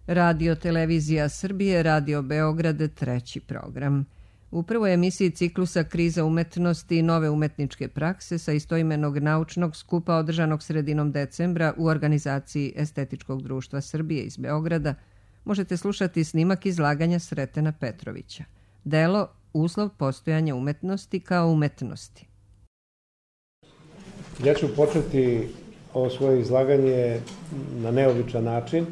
Radio Televizija Srbije, Radio Beograd, treći program. U prvoj emisiji ciklusa Kriza umetnosti i nove umetničke prakse sa istoimenog naučnog skupa održanog sredinom decembra u organizaciji Estetičkog društva Srbije iz Beograda možete slušati snimak izlaganja Sretena Petrovića. Delo Uslov postojanja umetnosti kao umetnosti. Ja ću početi ovo svoje izlaganje na neobičan način,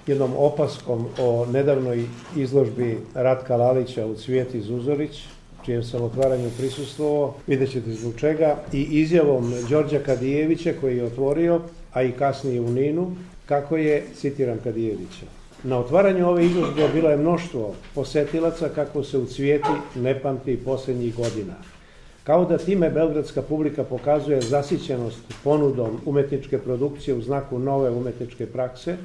jednom opaskom o nedavnoj izložbi Ratka Lalića u Cvijeti Zuzorić, čijem sam otvaranju prisustvovao, vidjet ćete zbog čega, i izjavom Đorđa Kadijevića koji je otvorio, a i kasnije u Ninu, kako je, citiram Kadijevića: na otvaranju ove izložbe bilo je mnoštvo posetilaca kako se u Cvijeti ne pamti posljednjih godina. Kao da time beogradska publika pokazuje zasićenost ponudom umetničke produkcije u znaku nove umetničke prakse,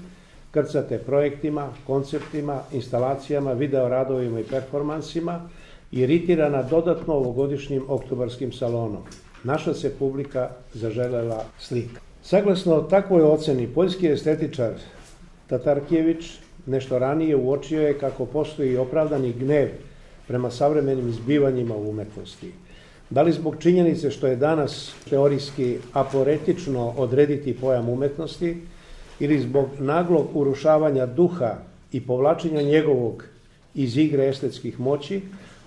krcate projektima, konceptima, instalacijama, videoradovima i performansima, iritirana dodatno ovogodišnjim oktobarskim salonom. Naša se publika zaželela slika. Saglasno takvoj oceni, poljski estetičar Tatarkijević nešto ranije uočio je kako postoji opravdani gnev prema savremenim zbivanjima u umetnosti. Da li zbog činjenice što je danas teorijski aporetično odrediti pojam umetnosti, ili zbog naglog urušavanja duha i povlačenja njegovog iz igre estetskih moći,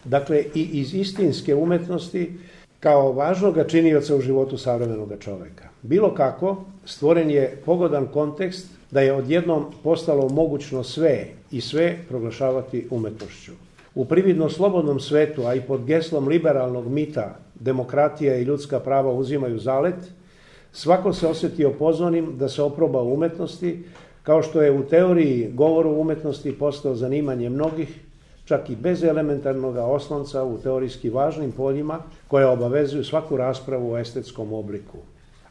dakle i iz istinske umetnosti kao važnog činioca u životu savremenog čoveka. Bilo kako, stvoren je pogodan kontekst da je odjednom postalo mogućno sve i sve proglašavati umetnošću. U prividno slobodnom svetu, a i pod geslom liberalnog mita demokratija i ljudska prava uzimaju zalet, svako se osjetio pozvanim da se oproba u umetnosti, kao što je u teoriji govor o umetnosti postao zanimanje mnogih, čak i bez elementarnog oslonca u teorijski važnim poljima koje obavezuju svaku raspravu o estetskom obliku.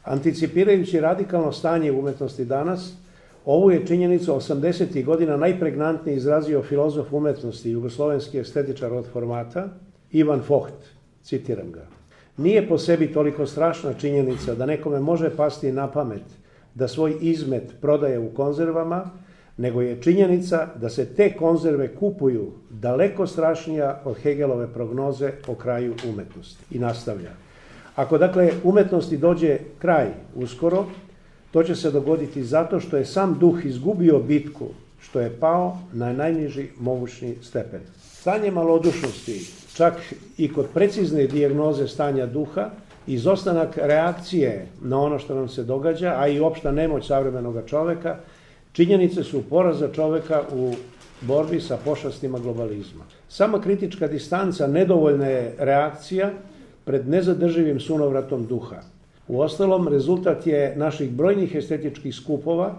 Anticipirajući radikalno stanje umetnosti danas, ovu je činjenicu 80. godina najpregnantnije izrazio filozof umetnosti, jugoslovenski estetičar od formata, Ivan Focht, citiram ga: nije po sebi toliko strašna činjenica da nekome može pasti na pamet da svoj izmet prodaje u konzervama, nego je činjenica da se te konzerve kupuju daleko strašnija od Hegelove prognoze o kraju umetnosti. I nastavlja: ako dakle umetnosti dođe kraj uskoro, to će se dogoditi zato što je sam duh izgubio bitku, što je pao na najniži mogućni stepen. Stanje malodušnosti, čak i kod precizne dijagnoze stanja duha, izostanak reakcije na ono što nam se događa, a i opšta nemoć savremenog čoveka, činjenice su poraza čoveka u borbi sa pošastima globalizma. Sama kritička distanca nedovoljna je reakcija pred nezadrživim sunovratom duha. Uostalom, rezultat je naših brojnih estetičkih skupova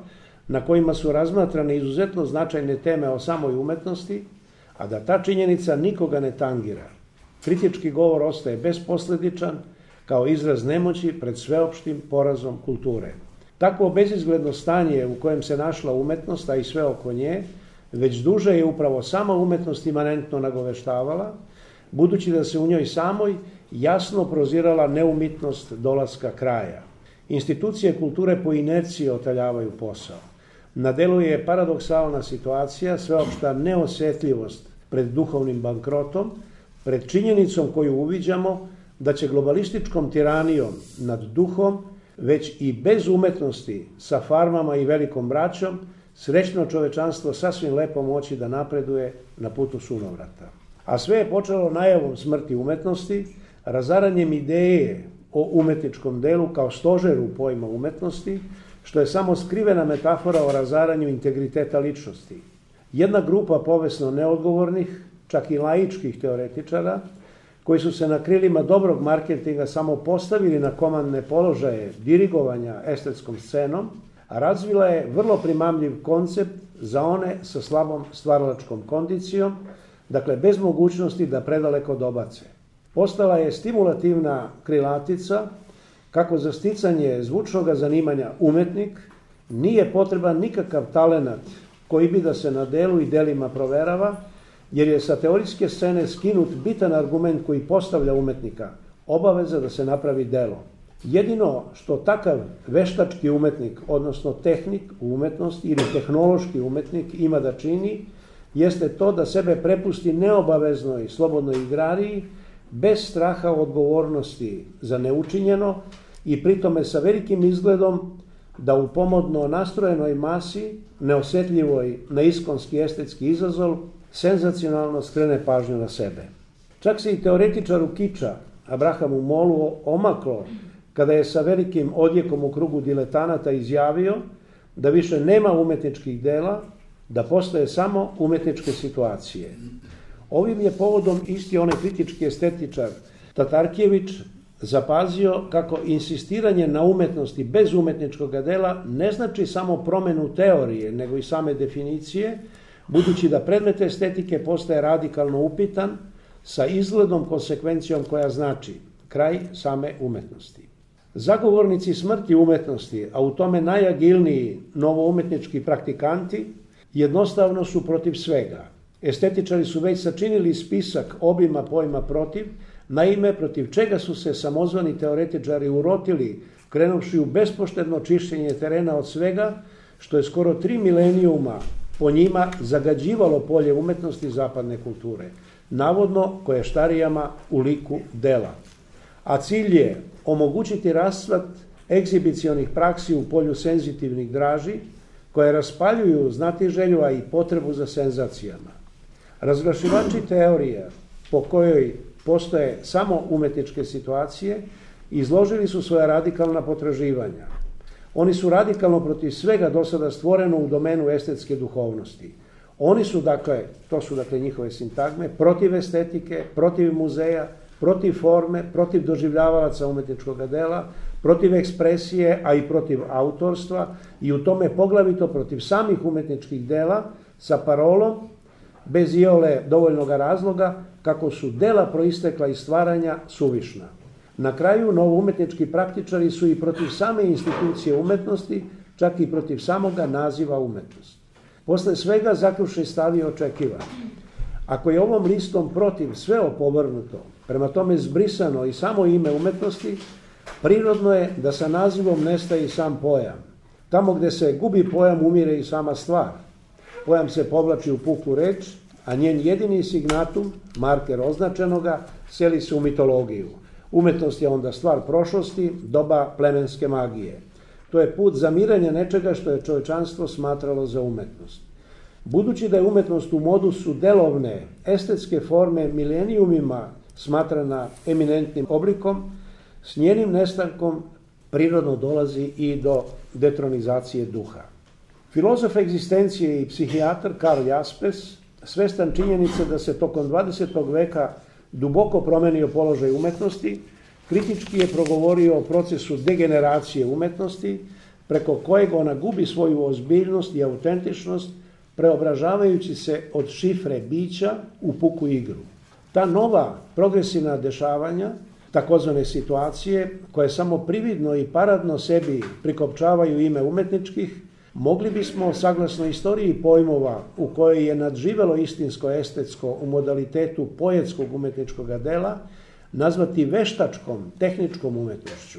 na kojima su razmatrane izuzetno značajne teme o samoj umetnosti, a da ta činjenica nikoga ne tangira. Kritički govor ostaje besposledičan kao izraz nemoći pred sveopštim porazom kulture. Takvo bezizgledno stanje u kojem se našla umetnost, a i sve oko nje, već duže je upravo sama umetnost imanentno nagoveštavala, budući da se u njoj samoj jasno prozirala neumitnost dolaska kraja. Institucije kulture po inerciji otaljavaju posao. Na delu je paradoksalna situacija, sveopšta neosjetljivost pred duhovnim bankrotom, pred činjenicom koju uviđamo da će globalističkom tiranijom nad duhom, već i bez umetnosti, sa farmama i velikom braćom, srećno čovečanstvo sasvim lepo moći da napreduje na putu sunovrata. A sve je počelo najavom smrti umetnosti, razaranjem ideje o umetničkom delu kao stožeru pojma umetnosti, što je samo skrivena metafora o razaranju integriteta ličnosti. Jedna grupa povesno neodgovornih, čak i laičkih teoretičara, koji su se na krilima dobrog marketinga samo postavili na komandne položaje dirigovanja estetskom scenom, a razvila je vrlo primamljiv koncept za one sa slabom stvaralačkom kondicijom, dakle bez mogućnosti da predaleko dobace. Postala je stimulativna krilatica kako za sticanje zvučnog zanimanja umetnik nije potreban nikakav talenat koji bi da se na delu i delima proverava, jer je sa teorijske scene skinut bitan argument koji postavlja umetnika, obaveza da se napravi delo. Jedino što takav veštački umetnik, odnosno tehnik u umetnosti ili tehnološki umetnik ima da čini, jeste to da sebe prepusti neobaveznoj slobodnoj igrariji, bez straha odgovornosti za neučinjeno i pritome sa velikim izgledom da u pomodno nastrojenoj masi, neosjetljivoj na iskonski estetski izazov, senzacionalno skrene pažnju na sebe. Čak se i teoretičaru kiča, Abrahamu Molu, omaklo kada je sa velikim odjekom u krugu diletanata izjavio da više nema umetničkih dela, da postoje samo umetničke situacije. Ovim je povodom isti onaj kritički estetičar Tatarkijević zapazio kako insistiranje na umetnosti bez umetničkog dela ne znači samo promenu teorije, nego i same definicije, budući da predmet estetike postaje radikalno upitan sa izgledom konsekvencijom koja znači kraj same umetnosti. Zagovornici smrti umetnosti, a u tome najagilniji novoumetnički praktikanti, jednostavno su protiv svega. Estetičari su već sačinili spisak obima pojma protiv, naime protiv čega su se samozvani teoretičari urotili, krenuvši u bespoštedno čišćenje terena od svega, što je skoro 3 milenijuma po njima zagađivalo polje umetnosti zapadne kulture, navodno koještarijama u liku dela. A cilj je omogućiti rascvat egzibicionih praksi u polju senzitivnih draži, koje raspaljuju znatiželju, a i potrebu za senzacijama. Razglašivači teorija po kojoj postoje samo umetničke situacije izložili su svoja radikalna potraživanja. Oni su radikalno protiv svega do sada stvoreno u domenu estetske duhovnosti. Oni su, to su njihove sintagme, protiv estetike, protiv muzeja, protiv forme, protiv doživljavalaca umetničkog dela, protiv ekspresije, a i protiv autorstva i u tome poglavito protiv samih umetničkih dela sa parolom, bez iole dovoljnog razloga, kako su dela proistekla iz stvaranja suvišna. Na kraju, novoumetnički praktičari su i protiv same institucije umetnosti, čak i protiv samoga naziva umetnost. Posle svega zaključni stav je očekivan. Ako je ovom listom protiv sve opovrnuto, prema tome zbrisano i samo ime umetnosti, prirodno je da sa nazivom nestaje i sam pojam. Tamo gde se gubi pojam, umire i sama stvar. Pojam se povlači u puku reč, a njen jedini signatum, marker označenoga, seli se u mitologiju. Umetnost je onda stvar prošlosti, doba plemenske magije. To je put zamiranja nečega što je čovečanstvo smatralo za umetnost. Budući da je umetnost u modusu delovne, estetske forme milenijumima smatrana eminentnim oblikom, s njenim nestankom prirodno dolazi i do detronizacije duha. Filozof egzistencije i psihijatar Karl Jaspers, svestan činjenice da se tokom 20. veka duboko promenio položaj umetnosti, kritički je progovorio o procesu degeneracije umetnosti, preko kojeg ona gubi svoju ozbiljnost i autentičnost, preobražavajući se od šifre bića u puku igru. Ta nova progresivna dešavanja, takozvane situacije, koje samo prividno i paradno sebi prikopčavaju ime umetničkih, mogli bismo, saglasno istoriji pojmova u kojoj je nadživelo istinsko estetsko u modalitetu poetskog umetničkog dela, nazvati veštačkom, tehničkom umetnošću.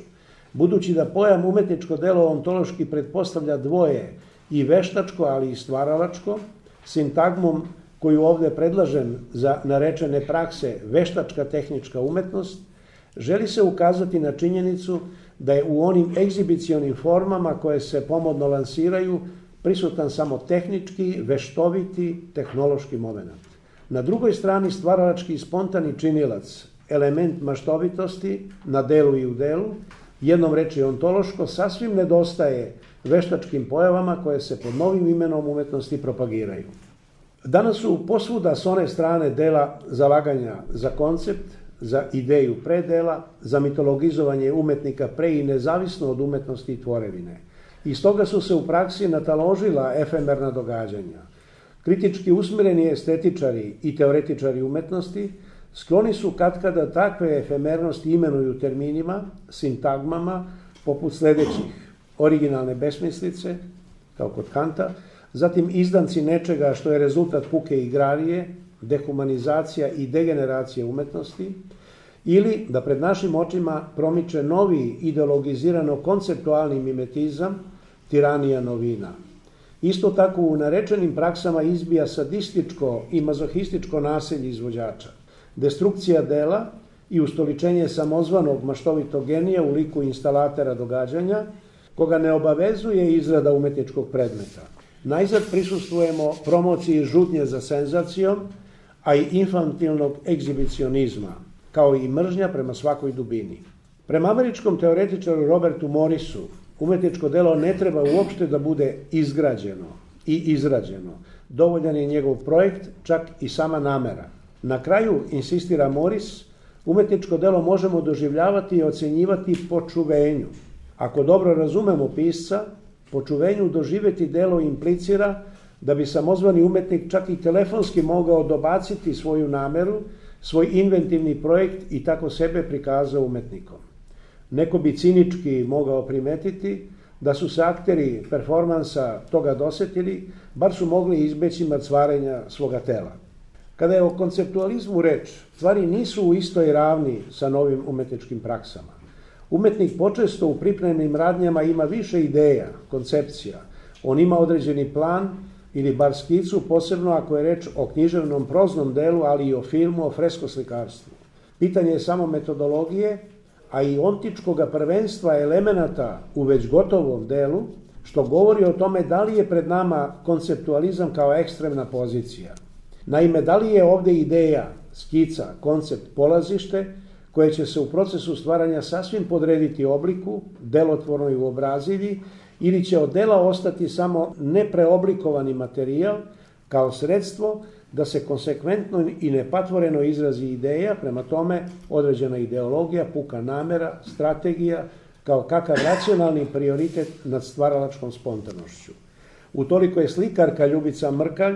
Budući da pojam umetničko delo ontološki pretpostavlja dvoje, i veštačko, ali i stvaralačko, sintagmom koju ovde predlažem za narečene prakse veštačka tehnička umetnost, želi se ukazati na činjenicu da je u onim egzibicionim formama koje se pomodno lansiraju prisutan samo tehnički, veštoviti, tehnološki moment. Na drugoj strani stvaralački i spontani činilac, element maštovitosti na delu i u delu, jednom reči ontološko, sasvim nedostaje veštačkim pojavama koje se pod novim imenom umetnosti propagiraju. Danas su posvuda s one strane dela zalaganja za koncept, za ideju pre dela, za mitologizovanje umetnika pre i nezavisno od umetnosti i tvorevine. Iz toga su se u praksi nataložila efemerna događanja. Kritički usmjereni estetičari i teoretičari umetnosti skloni su katkada takve efemernosti imenuju terminima, sintagmama, poput sljedećih: originalne besmislice, kao kod Kanta, zatim izdanci nečega što je rezultat puke igrarije, dehumanizacija i degeneracija umetnosti, ili da pred našim očima promiče novi ideologizirano-konceptualni mimetizam, tiranija novina. Isto tako u narečenim praksama izbija sadističko i mazohističko nasilje izvođača, destrukcija dela i ustoličenje samozvanog maštovitog genija u liku instalatera događanja, koga ne obavezuje izrada umetničkog predmeta. Najzad prisustvujemo promociji žutnje za senzacijom, a i infantilnog egzibicionizma, kao i mržnja prema svakoj dubini. Prema američkom teoretičaru Robertu Morrisu, umetničko delo ne treba uopšte da bude izgrađeno i izrađeno. Dovoljan je njegov projekt, čak i sama namera. Na kraju, insistira Morris, umetničko delo možemo doživljavati i ocenjivati po čuvenju. Ako dobro razumemo pisca, po čuvenju doživjeti delo implicira da bi samozvani umetnik čak i telefonski mogao dobaciti svoju nameru, svoj inventivni projekt i tako sebe prikazao umetnikom. Neko bi cinički mogao primetiti da su se akteri performansa toga dosetili, bar su mogli izbeći mrcvarenja svoga tela. Kada je o konceptualizmu reč, stvari nisu u istoj ravni sa novim umetničkim praksama. Umetnik počesto u pripremnim radnjama ima više ideja, koncepcija. On ima određeni plan ili bar skicu, posebno ako je reč o književnom proznom delu, ali i o filmu, o freskoslikarstvu. Pitanje je samo metodologije, a i ontičkoga prvenstva elemenata u već gotovom delu, što govori o tome da li je pred nama konceptualizam kao ekstremna pozicija. Naime, da li je ovde ideja, skica, koncept, polazište, koje će se u procesu stvaranja sasvim podrediti obliku, delotvornoj uobrazilji, ili će od dela ostati samo nepreoblikovani materijal kao sredstvo da se konsekventno i nepatvoreno izrazi ideja, prema tome određena ideologija, puka namera, strategija, kao kakav racionalni prioritet nad stvaralačkom spontanošću. Utoliko je slikarka Ljubica Mrkalj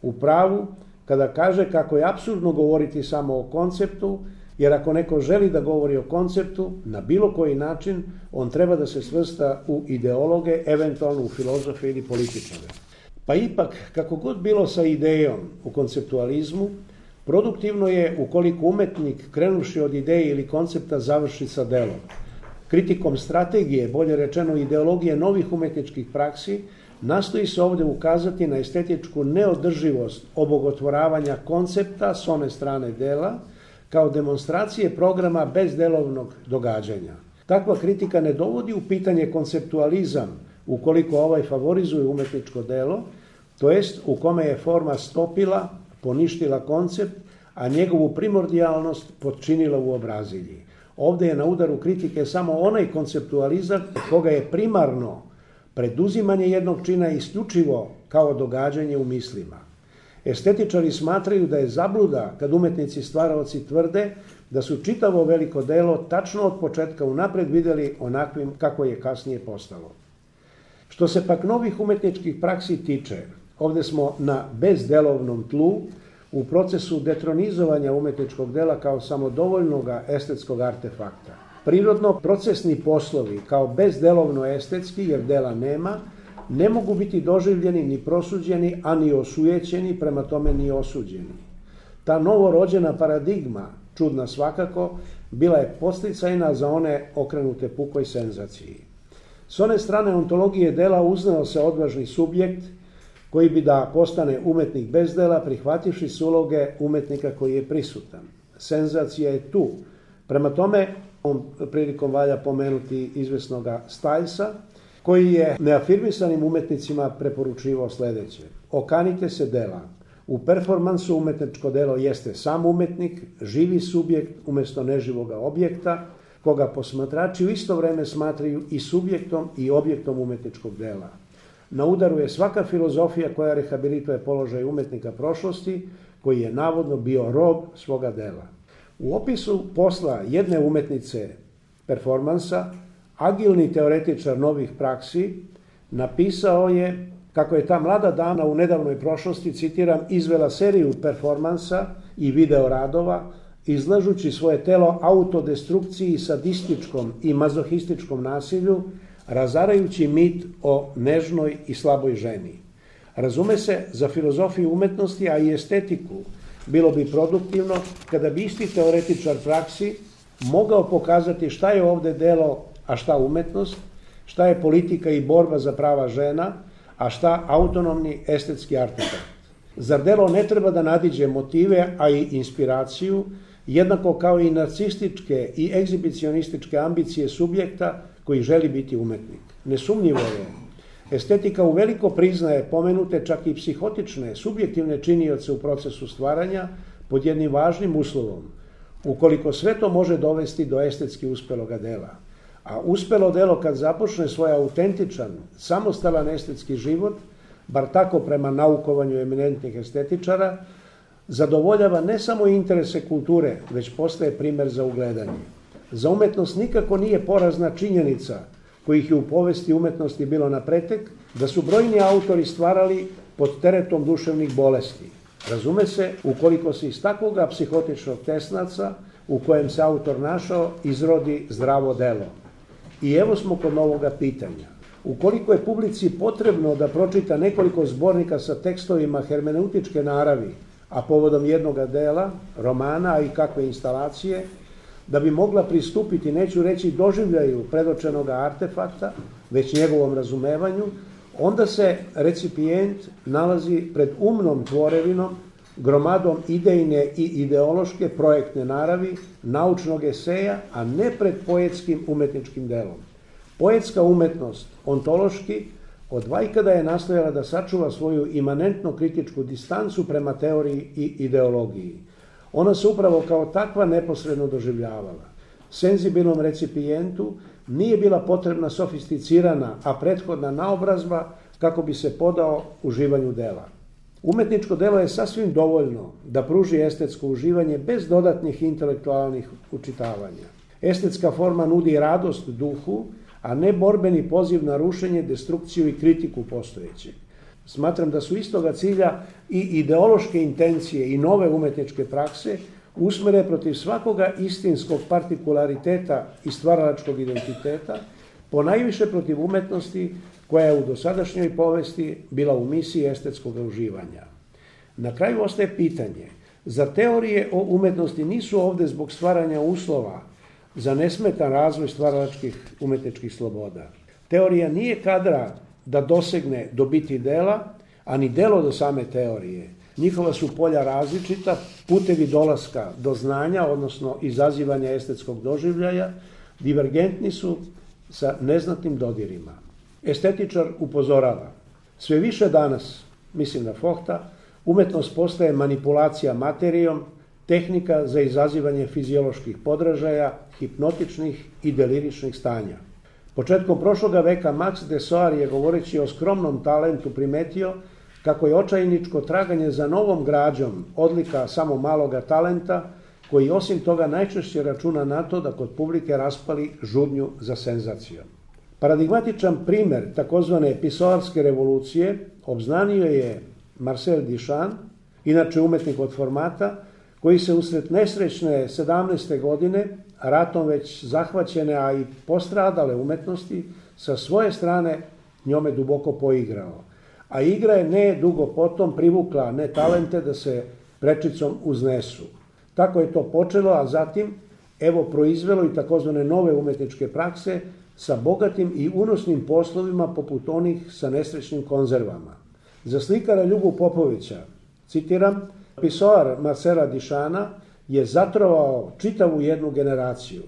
u pravu kada kaže kako je apsurdno govoriti samo o konceptu, jer ako neko želi da govori o konceptu, na bilo koji način, on treba da se svrsta u ideologe, eventualno u filozofe ili političare. Pa ipak, kako god bilo sa idejom u konceptualizmu, produktivno je ukoliko umetnik, krenuvši od ideje ili koncepta, završi sa delom. Kritikom strategije, bolje rečeno ideologije novih umetničkih praksi, nastoji se ovde ukazati na estetičku neodrživost obogotvoravanja koncepta s one strane dela, kao demonstracije programa bez delovnog događanja. Takva kritika ne dovodi u pitanje konceptualizam ukoliko ovaj favorizuje umetničko delo, to jest u kome je forma stopila, poništila koncept, a njegovu primordijalnost potčinila u obrazilji. Ovde je na udaru kritike samo onaj konceptualizam koga je primarno preduzimanje jednog čina isključivo kao događanje u mislima. Estetičari smatraju da je zabluda kad umetnici stvaraoci tvrde da su čitavo veliko delo tačno od početka unapred videli onakvim kako je kasnije postalo. Što se pak novih umetničkih praksi tiče, ovde smo na bezdelovnom tlu u procesu detronizovanja umetničkog dela kao samodovoljnog estetskog artefakta. Prirodno procesni poslovi kao bezdelovno estetski, jer dela nema, ne mogu biti doživljeni ni prosuđeni, a ni osujećeni, prema tome ni osuđeni. Ta novorođena paradigma, čudna svakako, bila je podsticajna za one okrenute pukoj senzaciji. S one strane ontologije dela uznao se odvažni subjekt koji bi da postane umetnik bez dela, prihvativši s uloge umetnika koji je prisutan. Senzacija je tu. Prema tome, ovom prilikom valja pomenuti izvesnoga Stajlsa, koji je neafirmisanim umetnicima preporučivao sledeće. Okanite se dela. U performansu umetničko delo jeste sam umetnik, živi subjekt umjesto neživoga objekta, koga posmatrači u isto vreme smatraju i subjektom i objektom umetničkog dela. Na udaru je svaka filozofija koja rehabilituje položaj umetnika prošlosti, koji je navodno bio rob svoga dela. U opisu posla jedne umetnice performansa, agilni teoretičar novih praksi napisao je kako je ta mlada dama u nedavnoj prošlosti, citiram, izvela seriju performansa i video radova, izlažući svoje telo autodestrukciji, sadističkom i mazohističkom nasilju, razarajući mit o nežnoj i slaboj ženi. Razume se, za filozofiju umetnosti, a i estetiku, bilo bi produktivno kada bi isti teoretičar praksi mogao pokazati šta je ovde delo, a šta umetnost, šta je politika i borba za prava žena, a šta autonomni estetski artefakt. Zar delo ne treba da nadiđe motive, a i inspiraciju, jednako kao i narcističke i egzibicionističke ambicije subjekta koji želi biti umetnik? Nesumnjivo je. Estetika uveliko priznaje pomenute čak i psihotične, subjektivne činioce u procesu stvaranja pod jednim važnim uslovom, ukoliko sve to može dovesti do estetski uspeloga dela. A uspelo delo kad započne svoj autentičan, samostalan estetski život, bar tako prema naukovanju eminentnih estetičara, zadovoljava ne samo interese kulture, već postaje primer za ugledanje. Za umetnost nikako nije porazna činjenica, kojih je u povesti umetnosti bilo na pretek, da su brojni autori stvarali pod teretom duševnih bolesti. Razume se, ukoliko se iz takvoga psihotičnog tesnaca, u kojem se autor našao, izrodi zdravo delo. I evo smo kod novoga pitanja. Ukoliko je publici potrebno da pročita nekoliko zbornika sa tekstovima hermeneutičke naravi, a povodom jednoga dela, romana, a i kakve instalacije, da bi mogla pristupiti, neću reći doživljaju predočenog artefakta, već njegovom razumevanju, onda se recipijent nalazi pred umnom tvorevinom, gromadom idejne i ideološke projektne naravi, naučnog eseja, a ne pred poetskim umetničkim delom. Poetska umetnost, ontološki, od vajkada je nastojala da sačuva svoju imanentno kritičku distancu prema teoriji i ideologiji. Ona se upravo kao takva neposredno doživljavala. Senzibilnom recipijentu nije bila potrebna sofisticirana, a prethodna naobrazba kako bi se podao uživanju dela. Umetničko delo je sasvim dovoljno da pruži estetsko uživanje bez dodatnih intelektualnih učitavanja. Estetska forma nudi radost duhu, a ne borbeni poziv na rušenje, destrukciju i kritiku postojećeg. Smatram da su istoga cilja i ideološke intencije i nove umetničke prakse usmere protiv svakoga istinskog partikulariteta i stvaralačkog identiteta, ponajviše protiv umetnosti koja je u dosadašnjoj povesti bila u misiji estetskog uživanja. Na kraju ostaje pitanje, zar teorije o umetnosti nisu ovde zbog stvaranja uslova za nesmetan razvoj stvaralačkih umetničkih sloboda? Teorija nije kadra da dosegne do biti dela, a ni delo do same teorije. Njihova su polja različita, putevi dolaska do znanja, odnosno izazivanja estetskog doživljaja, divergentni su sa neznatnim dodirima. Estetičar upozorava, sve više danas, mislim na Fohta, umetnost postaje manipulacija materijom, tehnika za izazivanje fizioloških podražaja, hipnotičnih i deliričnih stanja. Početkom prošloga veka Max Dessoir je, govoreći o skromnom talentu, primetio kako je očajničko traganje za novom građom odlika samo maloga talenta, koji osim toga najčešće računa na to da kod publike raspali žudnju za senzacijom. Paradigmatičan primer takozvane pisoarske revolucije obznanio je Marcel Duchamp, inače umetnik od formata, koji se usred nesrećne 17. godine, ratom već zahvaćene, a i postradale umetnosti, sa svoje strane njome duboko poigrao. A igra je ne dugo potom privukla ne talente da se prečicom uznesu. Tako je to počelo, a zatim evo proizvelo i takozvane nove umetničke prakse sa bogatim i unosnim poslovima poput onih sa nesrećnim konzervama. Za slikara Ljubu Popovića, citiram, pisoar Marcela Duchampa je zatrovao čitavu jednu generaciju,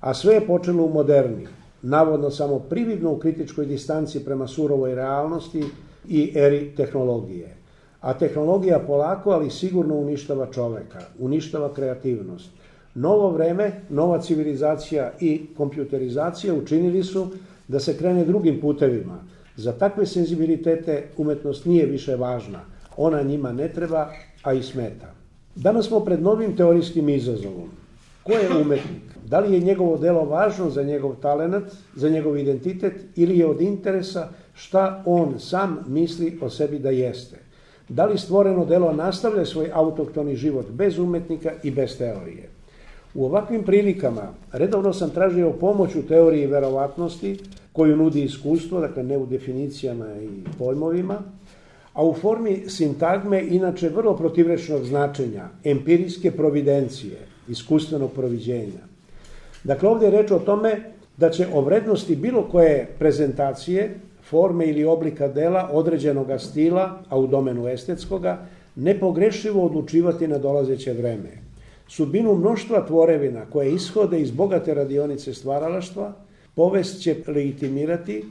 a sve je počelo u moderni, navodno samo prividno u kritičkoj distanci prema surovoj realnosti i eri tehnologije. A tehnologija polako, ali sigurno uništava čoveka, uništava kreativnost. Novo vreme, nova civilizacija i kompjuterizacija učinili su da se krene drugim putevima. Za takve senzibilitete umetnost nije više važna. Ona njima ne treba, a i smeta. Danas smo pred novim teorijskim izazovom. Ko je umetnik? Da li je njegovo delo važno za njegov talenat, za njegov identitet ili je od interesa šta on sam misli o sebi da jeste? Da li stvoreno delo nastavlja svoj autohtoni život bez umetnika i bez teorije? U ovakvim prilikama redovno sam tražio pomoć u teoriji verovatnosti koju nudi iskustvo, dakle ne u definicijama i pojmovima, a u formi sintagme inače vrlo protivrečnog značenja, empirijske providencije, iskustvenog proviđenja. Dakle, ovdje je reč o tome da će o vrednosti bilo koje prezentacije, forme ili oblika dela određenog stila, a u domenu estetskoga, nepogrešivo odlučivati na dolazeće vreme. Sudbinu mnoštva tvorevina koje ishode iz bogate radionice stvaralaštva, povest će legitimirati,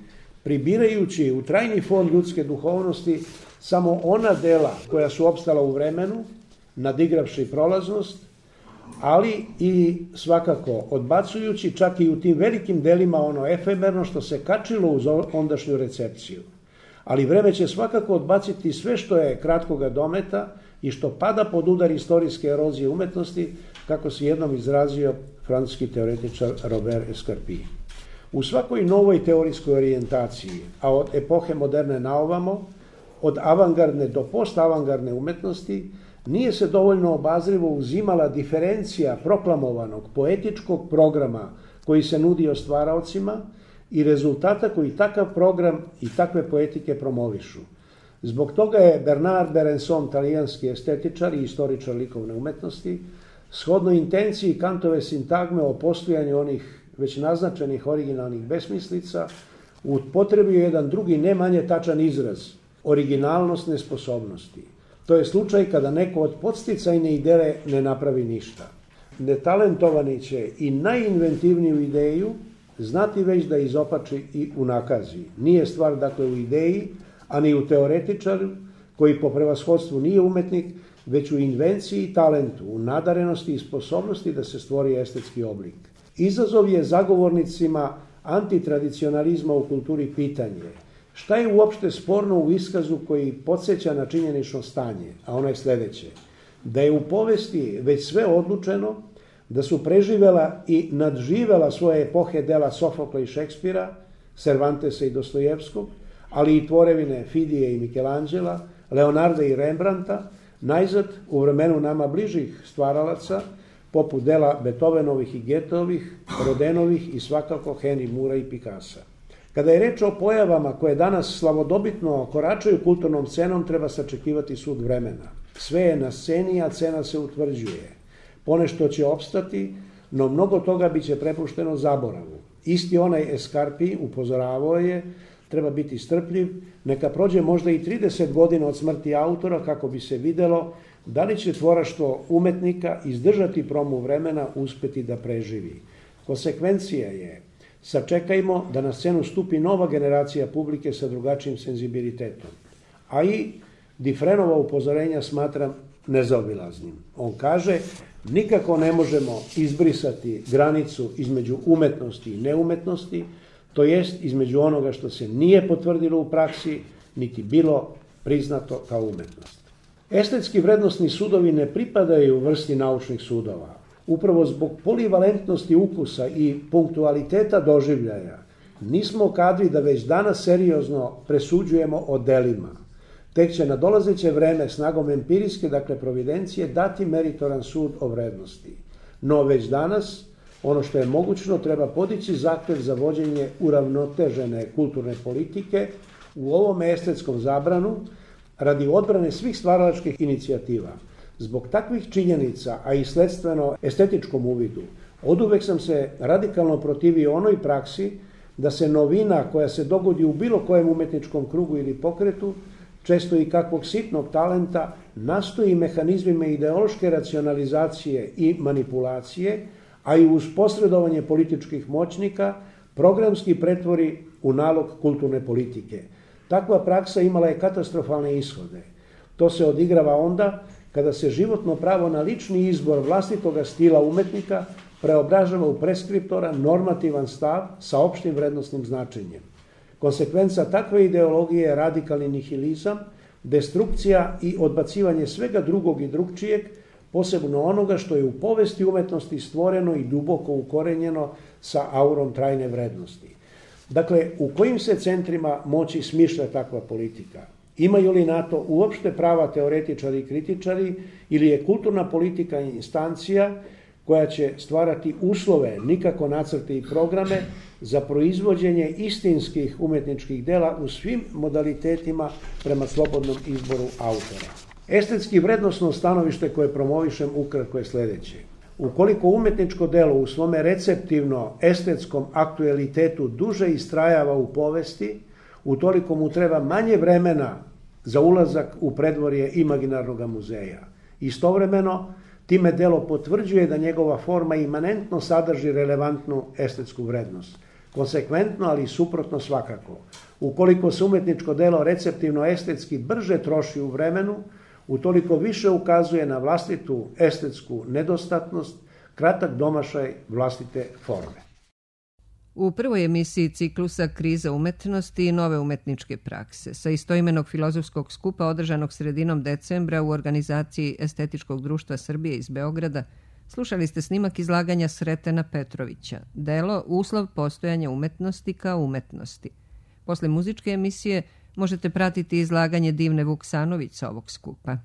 pribirajući u trajni fond ljudske duhovnosti samo ona dela koja su opstala u vremenu, nadigravši prolaznost, ali i svakako odbacujući čak i u tim velikim delima ono efemerno što se kačilo uz ondašnju recepciju. Ali vreme će svakako odbaciti sve što je kratkoga dometa i što pada pod udar istorijske erozije umetnosti, kako se jednom izrazio francuski teoretičar Robert Escarpie. U svakoj novoj teorijskoj orijentaciji, a od epohe moderne naovamo, od avangardne do postavangardne umetnosti, nije se dovoljno obazrivo uzimala diferencija proklamovanog poetičkog programa koji se nudio stvaraocima i rezultata koji takav program i takve poetike promovišu. Zbog toga je Bernard Berenson, talijanski estetičar i istoričar likovne umetnosti, shodno intenciji Kantove sintagme o postojanju onih već naznačenih originalnih besmislica, upotrebio jedan drugi ne manje tačan izraz, originalnost nesposobnosti. To je slučaj kada neko od podsticajne ideje ne napravi ništa. Netalentovani će i najinventivniju ideju znati već da izopači i unakazi. Nije stvar dakle u ideji, a ni u teoretičaru, koji po prevashodstvu nije umetnik, već u invenciji i talentu, u nadarenosti i sposobnosti da se stvori estetski oblik. Izazov je zagovornicima antitradicionalizma u kulturi pitanje: šta je uopšte sporno u iskazu koji podsjeća na činjenično stanje, a ono je sljedeće: da je u povesti već sve odlučeno, da su preživela i nadživela svoje epohe dela Sofokla i Šekspira, Cervantesa i Dostojevskog, ali i tvorevine Fidije i Michelangela, Leonarda i Rembrandta, najzad u vremenu nama bližih stvaralaca, poput dela Beethovenovih i Goetheovih, Rodenovih i svakako Henry Moora i Picassa. Kada je reč o pojavama koje danas slavodobitno koračaju kulturnom scenom, treba sačekivati sud vremena. Sve je na sceni, a cena se utvrđuje. Ponešto će opstati, no mnogo toga biće prepušteno zaboravu. Isti onaj Escarpie upozoravao je: treba biti strpljiv, neka prođe možda i 30 godina od smrti autora kako bi se videlo da li će tvoraštvo umetnika izdržati promu vremena, uspeti da preživi. Konsekvencija je: sačekajmo da na scenu stupi nova generacija publike sa drugačijim senzibilitetom. A i Dufresnova upozorenja smatram nezaobilaznim. On kaže: nikako ne možemo izbrisati granicu između umetnosti i neumetnosti, to jest između onoga što se nije potvrdilo u praksi, niti bilo priznato kao umetnost. Estetski vrednosni sudovi ne pripadaju vrsti naučnih sudova. Upravo zbog polivalentnosti ukusa i punktualiteta doživljaja nismo kadri da već danas seriozno presuđujemo o delima. Tek će na dolazeće vreme snagom empirijske, dakle providencije, dati meritoran sud o vrednosti. No već danas, ono što je mogućno, treba podići zahtev za vođenje uravnotežene kulturne politike u ovom estetskom zabranu radi odbrane svih stvaralačkih inicijativa. Zbog takvih činjenica, a i sledstveno estetičkom uvidu, oduvek sam se radikalno protivio onoj praksi da se novina koja se dogodi u bilo kojem umetničkom krugu ili pokretu, često i kakvog sitnog talenta, nastoji mehanizmima ideološke racionalizacije i manipulacije, a i uz posredovanje političkih moćnika, programski pretvori u nalog kulturne politike. Takva praksa imala je katastrofalne ishode. To se odigrava onda kada se životno pravo na lični izbor vlastitoga stila umetnika preobražava u preskriptora normativan stav sa opštim vrednostnim značenjem. Konsekvenca takve ideologije je radikalni nihilizam, destrukcija i odbacivanje svega drugog i drugčijeg, posebno onoga što je u povesti umetnosti stvoreno i duboko ukorenjeno sa aurom trajne vrednosti. Dakle, u kojim se centrima moći smišlja takva politika? Imaju li na to uopšte prava teoretičari i kritičari, ili je kulturna politika instancija koja će stvarati uslove, nikako nacrte i programe, za proizvođenje istinskih umetničkih dela u svim modalitetima prema slobodnom izboru autora? Estetski vrednosno stanovište koje promovišem ukratko je sljedeće. Ukoliko umetničko delo u svome receptivno-estetskom aktualitetu duže istrajava u povesti, utoliko mu treba manje vremena za ulazak u predvorje imaginarnog muzeja. Istovremeno, time delo potvrđuje da njegova forma imanentno sadrži relevantnu estetsku vrednost. Konsekventno, ali suprotno svakako. Ukoliko se umetničko delo receptivno-estetski brže troši u vremenu, utoliko više ukazuje na vlastitu estetsku nedostatnost, kratak domašaj vlastite forme. U prvoj emisiji ciklusa Kriza umetnosti i nove umetničke prakse sa istoimenog filozofskog skupa održanog sredinom decembra u organizaciji Estetičkog društva Srbije iz Beograda slušali ste snimak izlaganja Sretena Petrovića, delo Uslov postojanja umetnosti kao umetnosti. Posle muzičke emisije možete pratiti izlaganje Divne Vuksanović sa ovog skupa.